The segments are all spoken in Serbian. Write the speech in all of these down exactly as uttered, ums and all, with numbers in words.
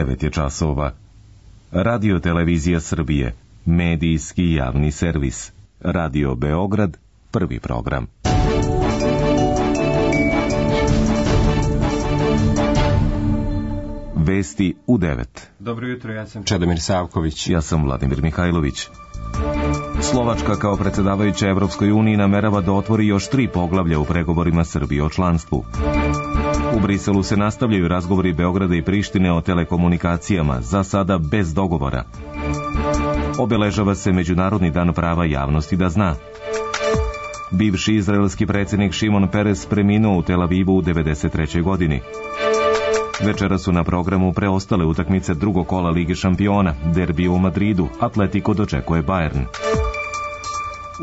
devet je časova. Radio Televizija Srbije, medijski javni servis. Radio Beograd, prvi program. Vesti u devet. Dobro jutro, ja sam Čedomir Savković. Ja sam Vladimir Mihajlović. Slovačka kao predsjedavajuća Evropskoj uniji namerava da otvori još tri poglavlja u pregovorima Srbije o članstvu. U Briselu se nastavljaju razgovori Beograda i Prištine o telekomunikacijama, za sada bez dogovora. Obeležava se Međunarodni dan prava javnosti da zna. Bivši izraelski predsjednik Šimon Peres preminuo u Tel Avivu u devedeset trećoj godini. Večera su na programu preostale utakmice drugog kola Lige šampiona, derbi u Madridu, Atletico dočekuje Bayern.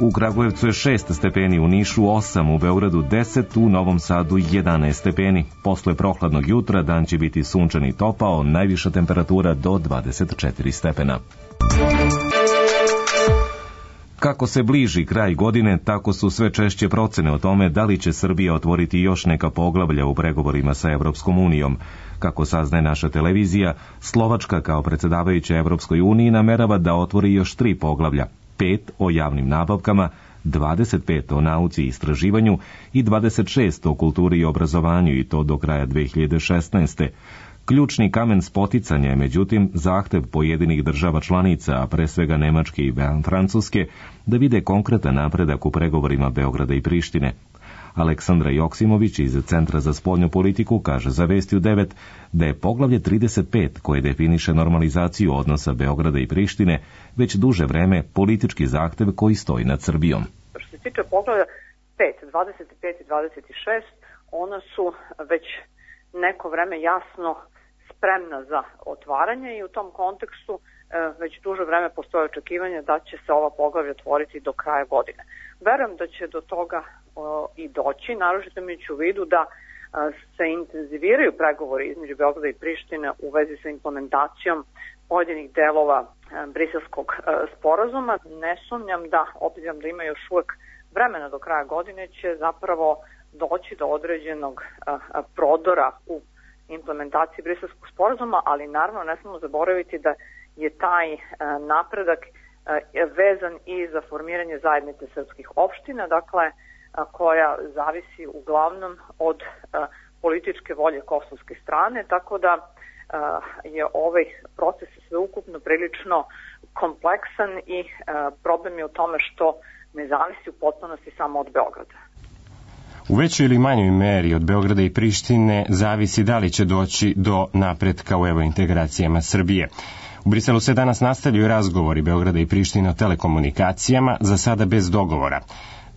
U Kragujevcu je šest stepeni, u Nišu osam, u Beogradu deset, u Novom Sadu jedanaest stepeni. Posle prohladnog jutra dan će biti sunčan i topao, najviša temperatura do dvadeset četiri stepena. Kako se bliži kraj godine, tako su sve češće procene o tome da li će Srbija otvoriti još neka poglavlja u pregovorima sa Evropskom unijom. Kako saznaje naša televizija, Slovačka kao predsjedavajuća Evropskoj uniji namerava da otvori još tri poglavlja, pet o javnim nabavkama, dvadeset pet o nauci i istraživanju i dvadeset šest o kulturi i obrazovanju, i to do kraja dve hiljade šesnaeste. Ključni kamen spoticanja je, međutim, zahtev pojedinih država članica, a pre svega Nemačke i Francuske, da vide konkretan napredak u pregovorima Beograda i Prištine. Aleksandra Joksimović iz Centra za spoljnu politiku kaže za Vesti u devet da je poglavlje trideset pet, koje definiše normalizaciju odnosa Beograda i Prištine, već duže vreme politički zahtev koji stoji nad Srbijom. Što se tiče poglavlja pet, dvadeset pet i dvadeset šest, ona su već neko vreme jasno spremna za otvaranje i u tom kontekstu već duže vreme postoje očekivanje da će se ova poglavlja otvoriti do kraja godine. Verujem da će do toga o, i doći, naročito imajući u vidu da a, se intenziviraju pregovori između Beograda i Prištine u vezi sa implementacijom pojedinih delova a, briselskog a, sporazuma. Ne sumnjam da, obzirom da ima još uvek vremena do kraja godine, će zapravo doći do određenog a, a, prodora u implementaciji briselskog sporazuma, ali naravno ne smemo zaboraviti da je taj a, napredak a, vezan i za formiranje zajednice srpskih opština, dakle a, koja zavisi uglavnom od a, političke volje kosovske strane, tako da a, je ovaj proces sveukupno prilično kompleksan i a, problem je u tome što ne zavisi u potpunosti samo od Beograda. U većoj ili manjoj meri od Beograda i Prištine zavisi da li će doći do napretka u evrointegracijama Srbije. U Briselu se danas nastavljaju razgovori Beograda i Prištine o telekomunikacijama, za sada bez dogovora.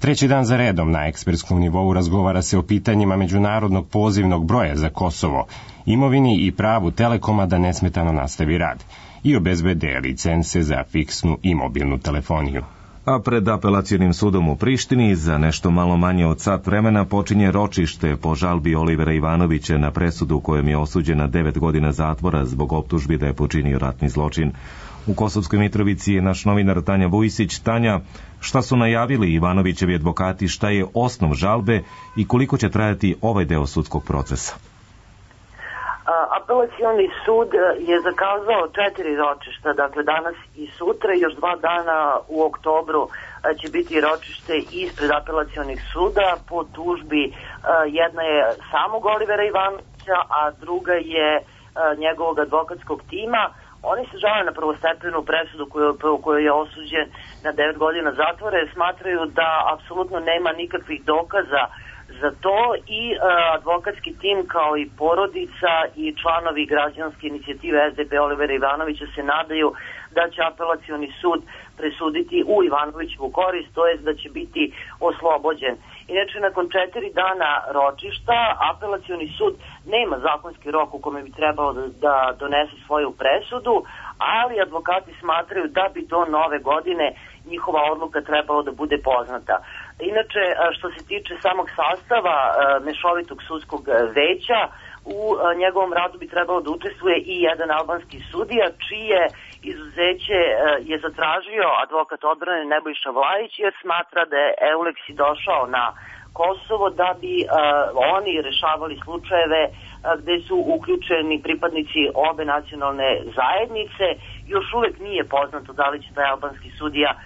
Treći dan za redom na ekspertskom nivou razgovara se o pitanjima međunarodnog pozivnog broja za Kosovo, imovini i pravu Telekoma da nesmetano nastavi rad i obezbede licence za fiksnu i mobilnu telefoniju. A pred apelacionim sudom u Prištini za nešto malo manje od sat vremena počinje ročište po žalbi Olivera Ivanovića na presudu kojem je osuđen na devet godina zatvora zbog optužbi da je počinio ratni zločin. U Kosovskoj Mitrovici je naš novinar Tanja Vujsić. Tanja, šta su najavili Ivanovićevi advokati, šta je osnov žalbe i koliko će trajati ovaj deo sudskog procesa? Apelacioni sud je zakazao četiri ročišta, dakle danas i sutra, još dva dana u oktobru će biti ročište ispred apelacionih suda po tužbi. Jedna je samog Olivera Ivanovića, a druga je njegovog advokatskog tima. Oni se žale na prvostepenu presudu u kojoj je osuđen na devet godina zatvora, jer smatraju da apsolutno nema nikakvih dokaza za to i uh, advokatski tim kao i porodica i članovi građanske inicijative S D P Olivera Ivanovića se nadaju da će apelacioni sud presuditi u Ivanovićevu korist, to jest da će biti oslobođen. Inače, nakon četiri dana ročišta, apelacioni sud nema zakonski rok u kome bi trebalo da, da donese svoju presudu, ali advokati smatraju da bi do nove godine njihova odluka trebalo da bude poznata. Inače, što se tiče samog sastava mešovitog sudskog veća, u njegovom radu bi trebalo da učestvuje i jedan albanski sudija, čije izuzeće je zatražio advokat odbrane Nebojša Vlajić, jer smatra da je Eulexi došao na Kosovo da bi uh, oni rešavali slučajeve uh, gde su uključeni pripadnici obe nacionalne zajednice. Još uvek nije poznato da li će taj albanski sudija uh,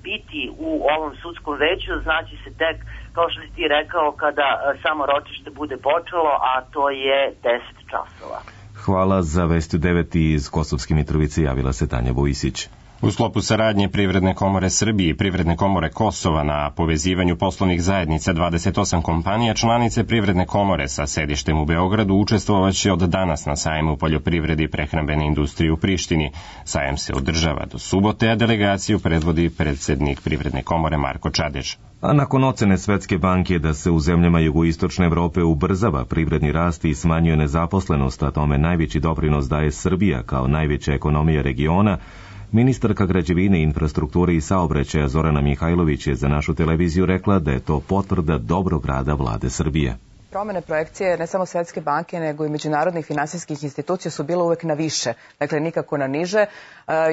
biti u ovom sudskom veću, znači se tek, kao što si ti rekao, kada uh, samo ročište bude počelo, a to je deset časova. Hvala. Za Vesti u devet iz Kosovske Mitrovice javila se Tanja Vojisić. U sklopu saradnje Privredne komore Srbije i Privredne komore Kosova na povezivanju poslovnih zajednica dvadeset osam kompanija članice Privredne komore sa sedištem u Beogradu učestvovaće od danas na sajmu poljoprivrede i prehrambene industrije u Prištini. Sajam se održava do subote, a delegaciju predvodi predsednik Privredne komore Marko Čadež. A nakon ocene Svetske banke da se u zemljama jugoistočne Evrope ubrzava privredni rast i smanjuje nezaposlenost, a tome najveći doprinos daje Srbija kao najveća ekonomija regiona, ministarka građevine, infrastrukture i saobraćaja Zorana Mihajlović je za našu televiziju rekla da je to potvrda dobrog rada vlade Srbije. Promene projekcije ne samo Svetske banke, nego i međunarodnih finansijskih institucija su bile uvek na više, dakle nikako na niže.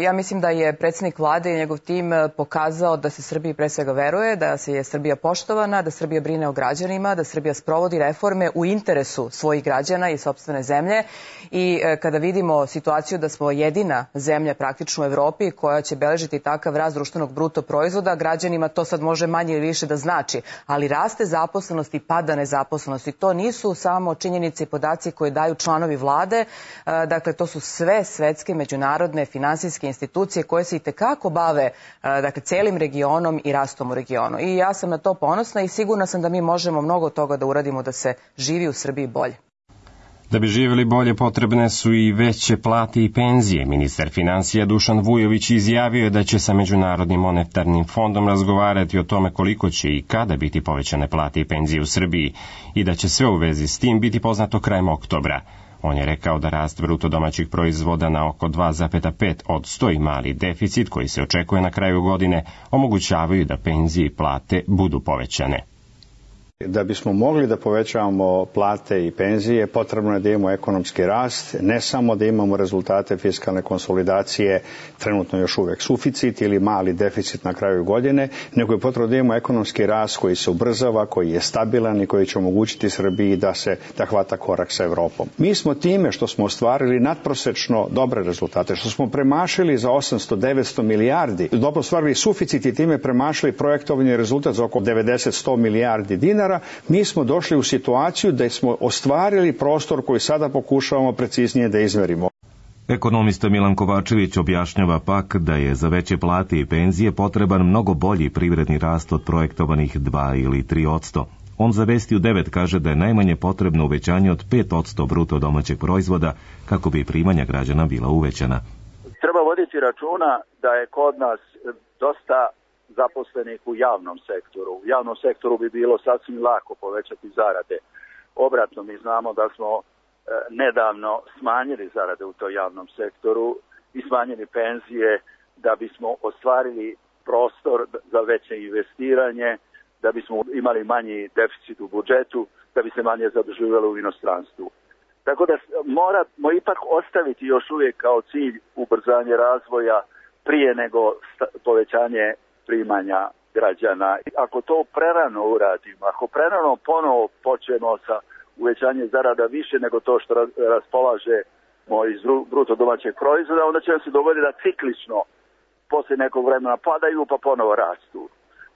Ja mislim da je predsjednik vlade i njegov tim pokazao da se Srbiji pre svega veruje, da se je Srbija poštovana, da Srbija brine o građanima, da Srbija sprovodi reforme u interesu svojih građana i sopstvene zemlje. I kada vidimo situaciju da smo jedina zemlja praktično u Evropi koja će beležiti takav rast društvenog bruto proizvoda, građanima to sad može manje ili više da znači, ali raste zaposlenost i pada nezaposlenost. I to nisu samo činjenice i podaci koje daju članovi vlade, dakle to su sve svetske međunarodne finansijske institucije koje se itekako bave dakle celim regionom i rastom u regionu. I ja sam na to ponosna i sigurna sam da mi možemo mnogo toga da uradimo da se živi u Srbiji bolje. Da bi živjeli bolje potrebne su i veće plate i penzije. Ministar finansija Dušan Vujović izjavio je da će sa Međunarodnim monetarnim fondom razgovarati o tome koliko će i kada biti povećane plate i penzije u Srbiji i da će sve u vezi s tim biti poznato krajem oktobra. On je rekao da rast bruto domaćih proizvoda na oko dva zarez pet posto i mali deficit koji se očekuje na kraju godine omogućavaju da penzije i plate budu povećane. Da bismo mogli da povećavamo plate i penzije, potrebno je da imamo ekonomski rast, ne samo da imamo rezultate fiskalne konsolidacije, trenutno još uvek suficit ili mali deficit na kraju godine, nego je potrebno da imamo ekonomski rast koji se ubrzava, koji je stabilan i koji će omogućiti Srbiji da se da hvata korak sa Evropom. Mi smo time što smo ostvarili nadprosečno dobre rezultate, što smo premašili za osamsto do devetsto milijardi, dobro ostvarili suficit i time premašili projektovani rezultat za oko devedeset do sto milijardi dinara, mi smo došli u situaciju da smo ostvarili prostor koji sada pokušavamo preciznije da izmerimo. Ekonomista Milan Kovačević objašnjava pak da je za veće plate i penzije potreban mnogo bolji privredni rast od projektovanih dva ili tri posto. On za Vesti u devet kaže da je najmanje potrebno uvećanje od pet posto bruto domaćeg proizvoda kako bi primanja građana bila uvećana. Treba voditi računa da je kod nas dosta zaposlenih u javnom sektoru. U javnom sektoru bi bilo sasvim lako povećati zarade. Obratno, mi znamo da smo e, nedavno smanjili zarade u toj javnom sektoru i smanjili penzije da bismo ostvarili prostor za veće investiranje, da bismo imali manji deficit u budžetu, da bi se manje zaduživalo u inostranstvu. Tako da moramo ipak ostaviti još uvijek kao cilj ubrzanje razvoja prije nego povećanje primanja građana. Ako to prerano uradimo, ako prerano ponovo počnemo sa uvećanjem zarada više nego to što raspolažemo iz bruto domaćeg proizvoda, onda će nam se dogoditi da ciklično posle nekog vremena padaju pa ponovo rastu.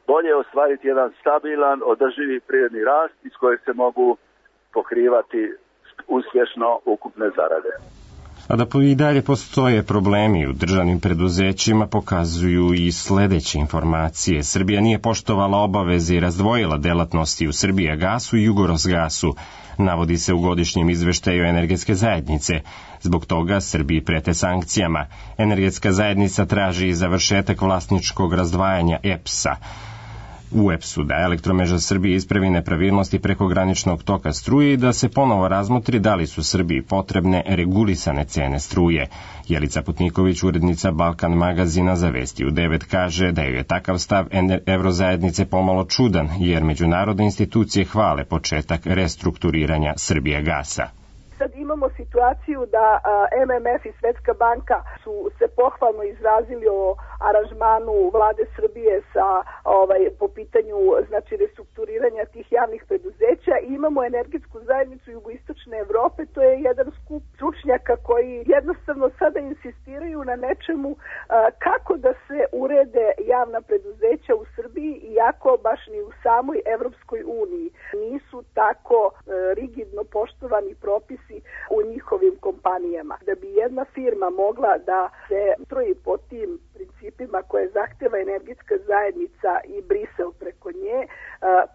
Bolje je ostvariti jedan stabilan, održivi privredni rast iz kojeg se mogu pokrivati uspješno ukupne zarade. A da i dalje postoje problemi u državnim preduzećima pokazuju i sledeće informacije. Srbija nije poštovala obaveze i razdvojila delatnosti u Srbijagasu i Jugorosgasu, navodi se u godišnjem izveštaju energetske zajednice. Zbog toga Srbiji prete sankcijama. Energetska zajednica traži i završetak vlasničkog razdvajanja E P S-a. U E P S-u da Elektromreža Srbije ispravi nepravilnosti preko graničnog toka struje i da se ponovo razmotri da li su Srbiji potrebne regulisane cene struje. Jelica Putniković, urednica Balkan magazina za Vesti u devet, kaže da je takav stav Evrozajednice pomalo čudan, jer međunarodne institucije hvale početak restrukturiranja Srbijagasa. Sad imamo situaciju da M M F i Svetska banka su se pohvalno izrazili o aranžmanu vlade Srbije sa ovaj po pitanju znači restrukturiranja tih javnih preduzeća i imamo energetsku zajednicu Jugoistočne Evrope, to je jedan skup stručnjaka koji jednostavno sada insistiraju na nečemu a, kako da se urede javna preduzeća u Srbiji, iako baš ni u samoj Evropskoj uniji nisu tako a, rigidno poštovani propisi u njihovim kompanijama. Da bi jedna firma mogla da se stroji po tim principima koje zahteva energetska zajednica i Brisel preko nje,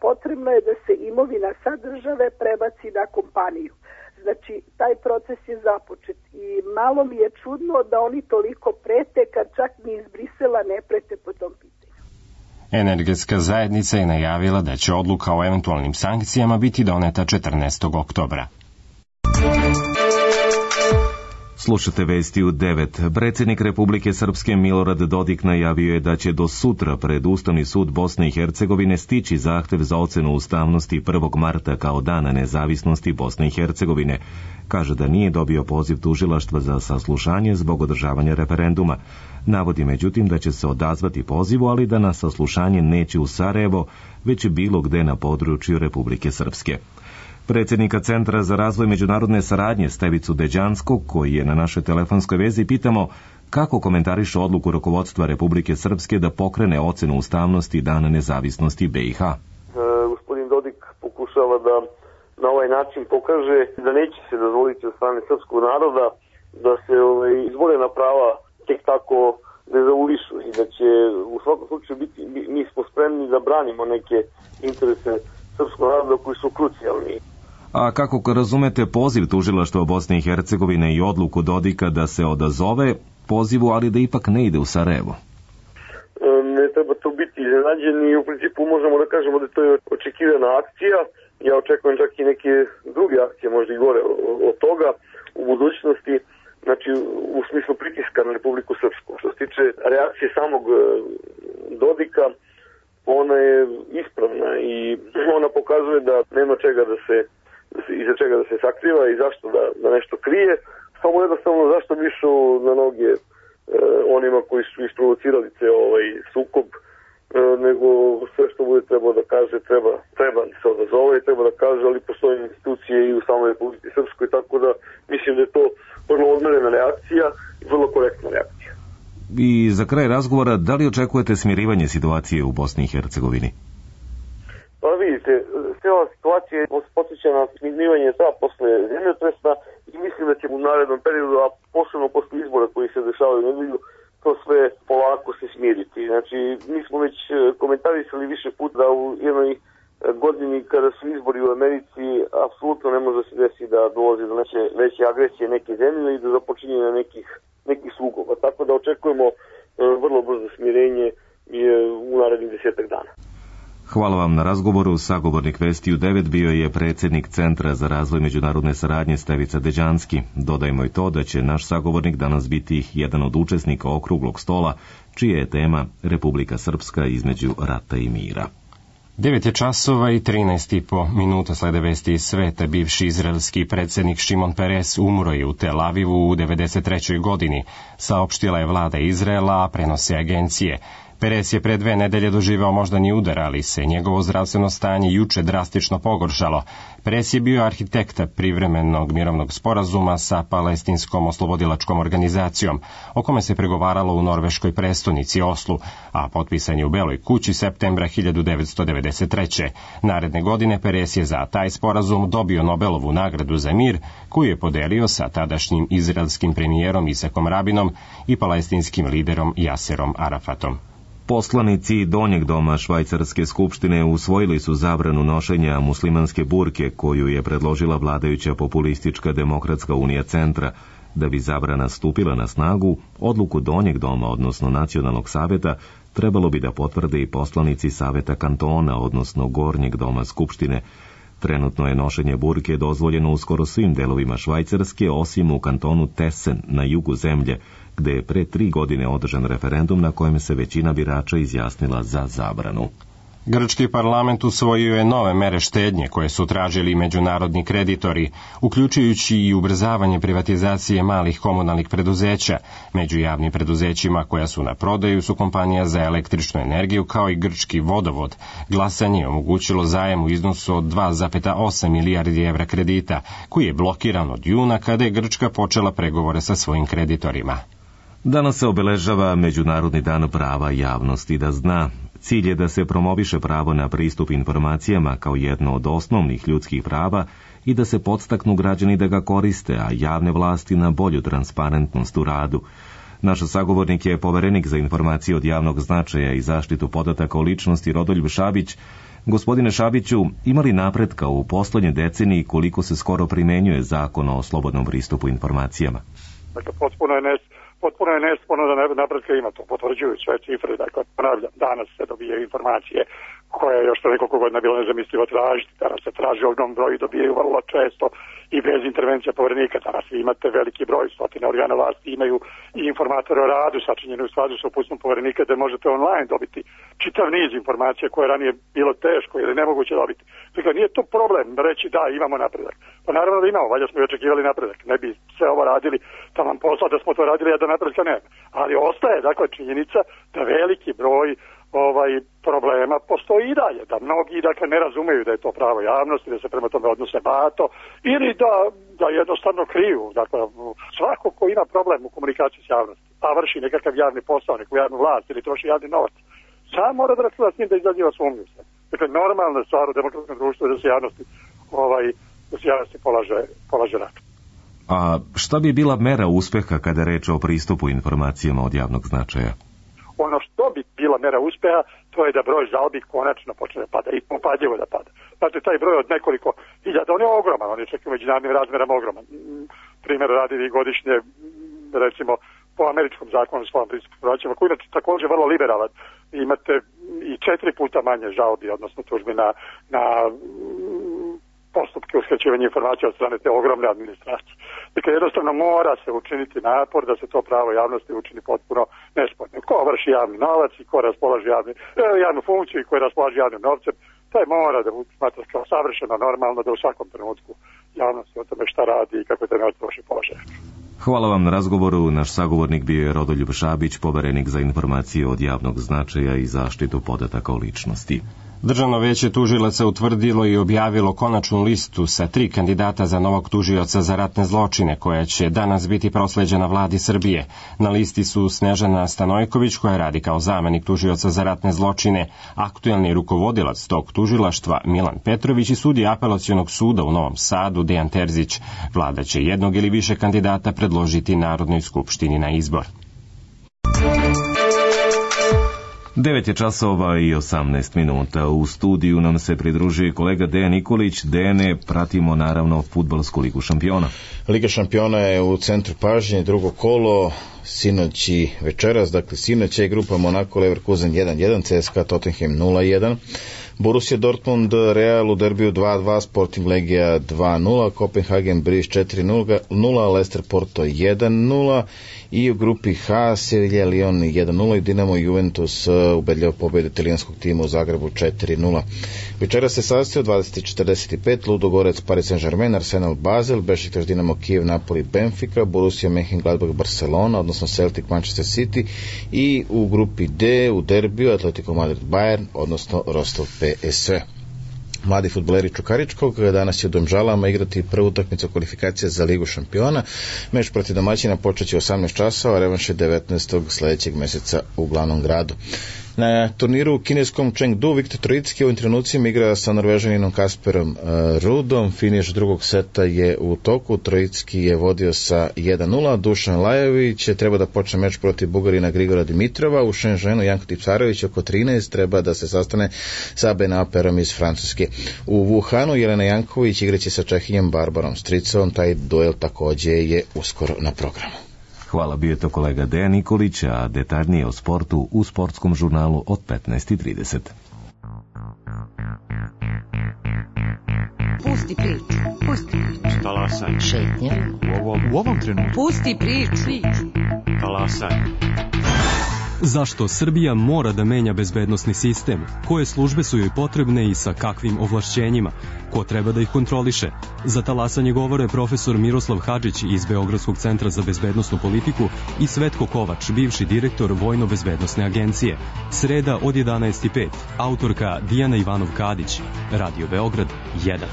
potrebno je da se imovina sa države prebaci na kompaniju. Znači, taj proces je započet i malo mi je čudno da oni toliko prete kad čak ni iz Brisela ne prete po tom pitanju. Energetska zajednica je najavila da će odluka o eventualnim sankcijama biti doneta četrnaestog oktobra. Slušate vesti u devet. Predsjednik Republike Srpske Milorad Dodik najavio je da će do sutra pred Ustavni sud Bosne i Hercegovine stići zahtev za ocenu ustavnosti prvog marta kao dana nezavisnosti Bosne i Hercegovine. Kaže da nije dobio poziv tužilaštva za saslušanje zbog održavanja referenduma. Navodi međutim da će se odazvati pozivu, ali da na saslušanje neće u Sarajevo, već bilo gde na području Republike Srpske. Predsjednika Centra za razvoj međunarodne saradnje Stevicu Deđanskog, koji je na našoj telefonskoj vezi, pitamo kako komentariše odluku rukovodstva Republike Srpske da pokrene ocenu ustavnosti dana nezavisnosti B i H. E, gospodin Dodik pokušava da na ovaj način pokaže da neće se dozvoliti od strane srpskog naroda da se ovaj, izborena prava tek tako ne zaulišu i da će u svakom slučaju biti, mi smo spremni da branimo neke interese srpskog naroda koji su krucijalni. A kako razumete poziv tužilaštva Bosne i Hercegovine i odluku Dodika da se odazove pozivu, ali da ipak ne ide u Sarajevo? Ne treba to biti iznenađeni i u principu možemo da kažemo da to je očekivana akcija. Ja očekujem čak i neke druge akcije, možda i gore od toga u budućnosti, znači u smislu pritiska na Republiku Srpsku. Što se tiče reakcije samog Dodika, ona je ispravna i ona pokazuje da nema čega da se, da se iza čega da se sakriva i zašto da, da nešto krije, samo jednostavno zašto bi išao na noge e, onima koji su isprovocirali ceo ovaj sukob, e, nego sve što bude trebao da kaže treba, treba se odazove i treba da kaže, ali postoje institucije i u samoj Republici Srpskoj, tako da mislim da je to vrlo odmerena reakcija i vrlo korektna reakcija. I za kraj razgovora, da li očekujete smirivanje situacije u Bosni i Hercegovini? Pa vidite, cijela situacija podsjeća na smirivanje ta posle zemljotresa i mislim da ćemo u narednom periodu, a posebno posle izbora koji se dešavaju u nedelju, to sve polako se smiriti. Znači, mi smo već komentarisali više puta da u jednoj godini kada su izbori u Americi, apsolutno ne može se desiti da dolazi do neke veće agresije neke zemlje i do započinjenja nekih nekih sukoba. Tako da očekujemo e, vrlo brzo smirenje u narednih desetak dana. Hvala vam na razgovoru. Sagovornik Vesti u devet bio je predsjednik Centra za razvoj međunarodne saradnje Stevica Deđanski. Dodajmo i to da će naš sagovornik danas biti jedan od učesnika okruglog stola, čija je tema Republika Srpska između rata i mira. devet je časova i trinaest i po minuta, slede vesti iz sveta. Bivši izraelski predsjednik Šimon Peres umro je u Tel Avivu u devedeset trećoj godini, saopštila je vlada Izraela, a prenose agencije. Peres je pre dve nedelje doživeo moždani udar, ali se njegovo zdravstveno stanje juče drastično pogoršalo. Peres je bio arhitekta privremenog mirovnog sporazuma sa palestinskom oslobodilačkom organizacijom, o kome se pregovaralo u norveškoj prestonici Oslu, a potpisan je u Beloj kući septembra hiljadu devetsto devedeset treće. Naredne godine Peres je za taj sporazum dobio Nobelovu nagradu za mir, koju je podelio sa tadašnjim izraelskim premijerom Isakom Rabinom i palestinskim liderom Jaserom Arafatom. Poslanici Donjeg doma Švajcarske skupštine usvojili su zabranu nošenja muslimanske burke koju je predložila vladajuća populistička Demokratska unija Centra. Da bi zabrana stupila na snagu, odluku Donjeg doma, odnosno Nacionalnog saveta, trebalo bi da potvrde i poslanici Saveta kantona, odnosno Gornjeg doma Skupštine. Trenutno je nošenje burke dozvoljeno u skoro svim delovima Švajcarske, osim u kantonu Tessen na jugu zemlje, gde je pre tri godine održan referendum na kojem se većina birača izjasnila za zabranu. Grčki parlament usvojio je nove mere štednje koje su tražili međunarodni kreditori, uključujući i ubrzavanje privatizacije malih komunalnih preduzeća. Među javnim preduzećima koja su na prodaju su kompanija za električnu energiju kao i grčki vodovod. Glasanje je omogućilo zajam u iznosu od dva zarez osam milijardi evra kredita, koji je blokiran od juna kada je Grčka počela pregovore sa svojim kreditorima. Danas se obeležava Međunarodni dan prava javnosti da zna. Cilj je da se promoviše pravo na pristup informacijama kao jedno od osnovnih ljudskih prava i da se podstaknu građani da ga koriste, a javne vlasti na bolju transparentnost u radu. Naš sagovornik je poverenik za informacije od javnog značaja i zaštitu podataka o ličnosti Rodoljub Šabić. Gospodine Šabiću, ima li napretka u poslednje deceniji koliko se skoro primenjuje zakon o slobodnom pristupu informacijama? Dakle, potpuno je nes... Potpuno je nesporno da napretka ima, to potvrđuju sve cifre, dakle, ponavljam, danas se dobije informacije koje još pre nekoliko godina bilo nezamislivo tražiti, danas se traži ogrom broj i dobijaju vrlo često i bez intervencija poverenika. Danas vi imate veliki broj, stotine organa vlasti imaju i informatore o radu sačinjeni u skladu sa uputstvom poverenika da možete online dobiti čitav niz informacija koje je ranije bilo teško ili nemoguće dobiti. Dakle, nije to problem reći da imamo napredak. Pa naravno da imamo, valjda smo i očekivali napredak. Ne bi sve ovo radili, da vam posla da smo to radili, a da napredka nema. Ali ostaje, dakle, činjenica da veliki broj ovaj problema postoji i dalje, da mnogi dakle ne razumeju da je to pravo javnosti, da se prema tome odnose bato ili da, da jednostavno kriju. Dakle, svako ko ima problem u komunikaciji s javnosti, a vrši nekakav javni posao, neku javnu vlast ili troši javni novac, sam mora da računa s njim da izaziva sumnju. Dakle, normalna stvar u demokratskom društvu je da se javnosti, ovaj, da se javnosti polaže, polaže račun. A šta bi bila mera uspeha kada je reč o pristupu informacijama od javnog značaja? Ono što bi bila mera uspeha, to je da broj žalbi konačno počne da pada i upadljivo da pada. Znači, taj broj od nekoliko hiljada, on je ogroman, on je čak i međunarodnim razmerama ogroman. Primjer radi vi godišnje, recimo, po američkom zakonu o slobodnom pristupu informacijama, koji je također vrlo liberalan. Imate i četiri puta manje žalbi, odnosno tužbi na, na postupke uskraćivanja informacija od strane te ogromne administracije. Dakle, jednostavno mora se učiniti napor da se to pravo javnosti učini potpuno nespornim. Ko vrši javni novac i ko raspolaže javni, javnu funkciju i ko raspolaže javnim novcem, taj mora da smatra kao savršeno normalno da u svakom trenutku javnosti o tome šta radi i kako je taj novac troši položaj. Hvala vam na razgovoru. Naš sagovornik bio je Rodoljub Šabić, poverenik za informacije od javnog značaja i zaštitu podataka o ličnosti. Državno veće tužilaca utvrdilo i objavilo konačnu listu sa tri kandidata za novog tužioca za ratne zločine, koja će danas biti prosleđena vladi Srbije. Na listi su Snežana Stanojković, koja radi kao zamenik tužioca za ratne zločine, aktuelni rukovodilac tog tužilaštva Milan Petrović i sudija apelacionog suda u Novom Sadu Dejan Terzić. Vlada će jednog ili više kandidata predložiti Narodnoj skupštini na izbor. devet je časova i osamnaest minuta. U studiju nam se pridružuje kolega Dejan Nikolić. Dejane, pratimo naravno fudbalsku ligu šampiona. Liga šampiona je u centru pažnje, drugo kolo, sinoć i večeras, dakle sinoć je grupa Monaco Leverkusen jedan jedan, C S K A Tottenham nula jedan, Borussia Dortmund Real u derbiju dva dva, Sporting Legija dva nula, Kopenhagen Bruges četiri nula, Leicester Porto jedan nula i u grupi H Sevilla Lyon jedan nula i Dinamo Juventus ubedljiva pobjeda italijanskog tima u Zagrebu četiri nula. Večera se sastoji u dvadeset četrdeset pet Ludogorets Paris Saint-Germain, Arsenal Basel, Bešiktaš Dinamo Kijev Napoli Benfica, Borussia Mönchengladbach Barcelona, odnosno Celtic Manchester City i u grupi D u derbiju Atletico Madrid Bayern, odnosno Rostov P S V. Mladi fudbaleri Čukaričkog danas će u Domžalama igrati prvu utakmicu kvalifikacija za Ligu šampiona. Meč protiv domaćina počeće u osamnaest časova, a revanš je devetnaestog sledećeg meseca u glavnom gradu. Na turniru u kineskom Chengdu Viktor Trojicki u ovim trenucima igra sa Norvežaninom Kasperom Rudom. Finiš drugog seta je u toku. Trojicki je vodio sa jedan nula. Dušan Lajović treba da počne meč protiv Bugarina Grigora Dimitrova. U Shenzhenu Janko Tipsarević oko trinaest treba da se sastane sa Benaperom iz Francuske. U Wuhanu Jelena Janković igraće sa Čehinjem Barbarom Stricovom. Taj duel takođe je uskoro na programu. Hvala, bio je to kolega Dejan Nikolić, a detaljnije o sportu u sportskom žurnalu od petnaest i trideset. Pusti priču, pusti priču. Talasaj. Šetnja. U ovom, u ovom trenutku. Pusti priču. Talasaj. Zašto Srbija mora da menja bezbednosni sistem? Koje službe su joj potrebne i sa kakvim ovlašćenjima? Ko treba da ih kontroliše? Za talasanje govore profesor Miroslav Hadžić iz Beogradskog centra za bezbednosnu politiku i Svetko Kovač, bivši direktor Vojno-bezbednosne agencije. Sreda od jedanaest i pet. Autorka Dijana Ivanov-Kadić. Radio Beograd jedan.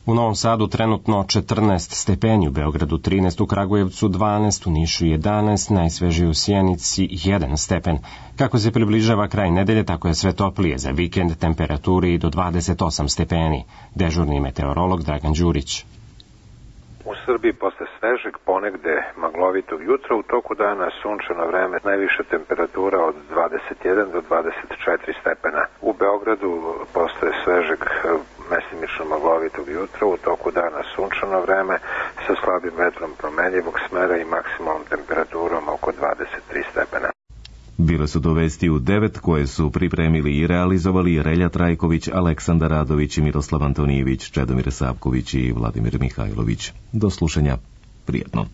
U Novom Sadu trenutno četrnaest stepeni, u Beogradu trinaest, u Kragujevcu dvanaest, u Nišu jedanaest, najsvežije u Sjenici jedan stepen. Kako se približava kraj nedelje, tako je sve toplije. Za vikend temperaturi do dvadeset osam stepeni. Dežurni meteorolog Dragan Đurić. U Srbiji posle svežeg, ponegde maglovitog jutra, u toku dana sunčano vreme, najviša temperatura od dvadeset jedan do dvadeset četiri stepena. U Beogradu posle svežeg, mesimično maglovitog jutra, u toku dana sunčano vreme sa slabim vetrom promenljivog smera i maksimalnom temperaturom oko dvadeset tri stepena. Bile su to vesti u devet koje su pripremili i realizovali Relja Trajković, Aleksandar Radović, Miroslav Antonijević, Čedomir Savković i Vladimir Mihajlović. Do slušanja. Prijetno.